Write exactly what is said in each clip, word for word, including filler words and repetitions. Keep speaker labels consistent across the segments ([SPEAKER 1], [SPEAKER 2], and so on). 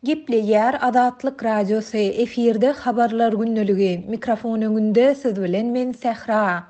[SPEAKER 1] Gepleýär Azatlyk Radiosy, efirde Habarlar gündeligi, mikrofon öňünde siz bilen men Sähra.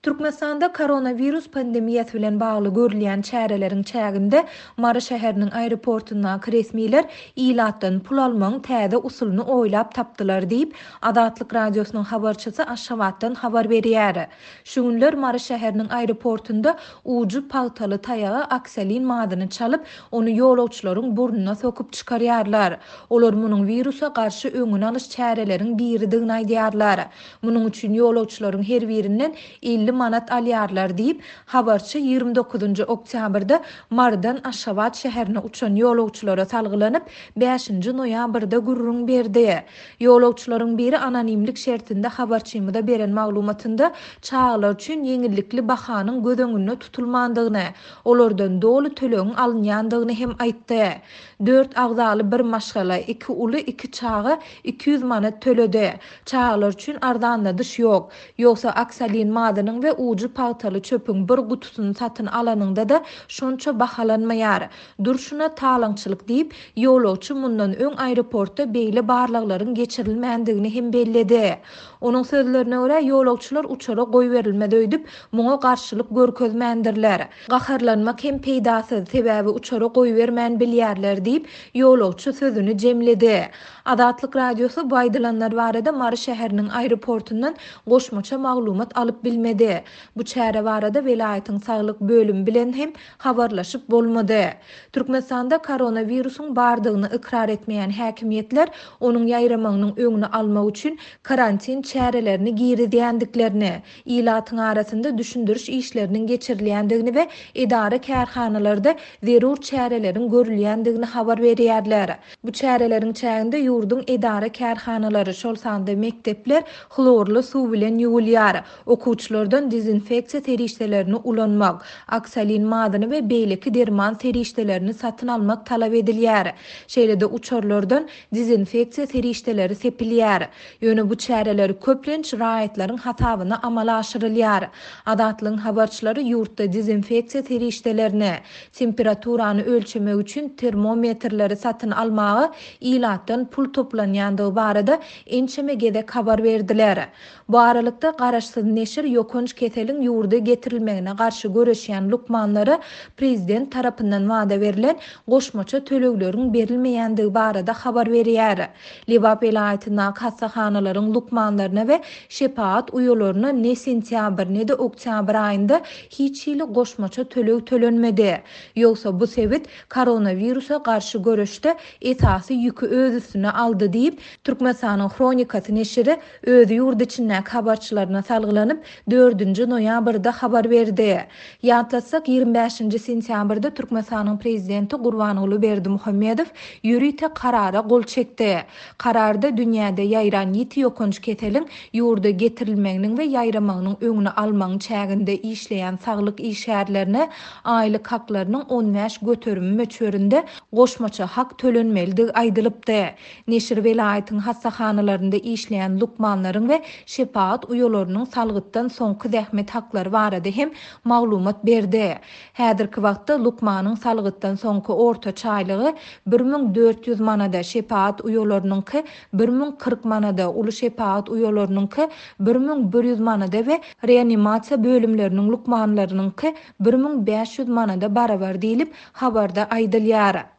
[SPEAKER 1] Türkmenistanda koronawirus pandemiýasy bilen bagly görülýän çäreleriň çäginde Mary şäheriniň aeroportundaky resmiler ilatdan pul almagyň täze usulyny oýlap tapdylar diýip, Azatlyk Radiosynyň habarçysy Aşgabatdan habar berýär. Şu günler Mary şäheriniň aeroportunda ujy pagtaly taýaga oksolin mazyny çalyp, ony ýolagçylaryň burnuna sokup çykarýarlar. Olar munuň wirusa garşy öňüni alyş çäreleriň biridigini aýdýarlar. Munuň üçin ýolagçylaryň her birinden elli manat alýarlar diýip, habarçy ýigrimi dokuzynjy oktýabrda Marydan Aşgabat şäherine uçan ýolagçylara salgylanyp, bäşinji noýabrda gürrüň berdi. Ýolagçylaryň biri anonimlik şertinde habarçymyza beren maglumatynda çagalar üçin ýeňillikli bahanyň göz öňünde tutulmandygyny, olardan doly tölegiň alynýandygyny hem aýtdy. Dört agzaly bir maşgala, iki uly, iki çaga iki ýüz manat töledi. Çagalar üçin arzanladyş ýok. Ýogsa oksolin mazynyň we ujy pagtaly çöpüň bir gutusyny satyn alanyňda-da şonça bahalanmaýar. Durşuna talaňçylyk diýip, ýolagçy mundan öň aeroportda beýle barlaglaryň geçirilmändigini hem belledi. Onuň sözlerine görä, ýolagçylar uçara goýberilmez öýdüp, muňa garşylyk görkezmändirler. Gaharlanmak hem peýdasyz, sebäbi uçara goýbermän bilýärler diýip, ýolagçy sözüni jemledi. Azatlyk Radiosy bu aýdylanlar barada Mary şäheriniň aeroportundan goşmaça maglumat alyp bilmedi. Bu çäre barada welaýatyň saglyk bölümi bilen hem habarlaşyp bolmady. Türkmenistanda koronawirusyň bardygyny ykrar etmeýän häkimiýetler onuň ýaýramagynyň öňüni almak üçin karantin çärelerini girizýändiklerini, ilatyň arasynda düşündiriş işleriniň geçirilýändigini we edara kärhanalarda zerur çäreleriň görülýändigini habar berýärler. Bu çäreleriň çäginde ýurduň edara kärhanalary, şol sanda mekdepler hlorly suw bilen ýuwulýar. Okuwçylardan dezinfeksiýa serişdelerini ulanmak, oksolin mazyny we beýleki derman serişdelerini satyn almak talap edilýär. Şeýle-de uçarlardan dezinfeksiýa serişdeleri sepilýär. Ýöne bu çäreler köplenç raýatlaryň hasabyna amala aşyrylýar. Azatlygyň habarçylary ýurtda dezinfeksiýa serişdelerini, temperaturany ölçemek üçin termometrleri satyn almaga ilatdan pul toplanýandygy barada ençeme gezek habar berdiler. Bu aralykda garaşsyz neşir ýokanç keseliň ýurda getirilmegine garşy göreşýän lukmanlara prezident tarapyndan wada berlen goşmaça tölegleriň berilmeýändigi barada habar berýär. Lebap welaýatyndaky hassahanalaryň lukmanlaryna we şepagat uýalaryna ne sentýabr ne de oktýabr aýynda hiç hili goşmaça töleg tölenmedi. Ýogsa bu sebit koronawirusa garşy göreşde esasy ýüki öz üstüne aldy diýip, Türkmenistanyň Hronikasy neşiri öz ýurt içindäki habarçylaryna salgylanyp, dördünji noýabrda habar berdi. Ýatlatsak, ýigrimi bäşinji sentýabrda Türkmenistanyň prezidenti Gurbanguly Berdimuhamedow ýörite karara gol çekdi. Kararda dünýäde ýaýran ýiti ýokanç keseliň ýurda getirilmeginiň we ýaýramagynyň öňüni almagyň çäginde işleýän saglyk işgärlerine aýlyk haklarynyň on bäş göterimi möçberinde goşmaça hak tölenmelidigi aýdylypdy. Neşir welaýatyň hassahanalarynda işleýän lukmanlaryň we şepagat uýalarynyň salgytdan soňky zähmet haklary barada hem maglumat berdi. Häzirki wagtda lukmanyň salgytdan soňky orta çaýlygy bir müň dört ýüz manada, şepagat uýalarynyňky bir müň kyrk manada, uly şepagat uýalarynyňky bir müň bir ýüz manada we reanimasiýa bölümleriniň lukmanlarynyňky bir müň bäş ýüz manada barabar diýlip habarda aýdylýar.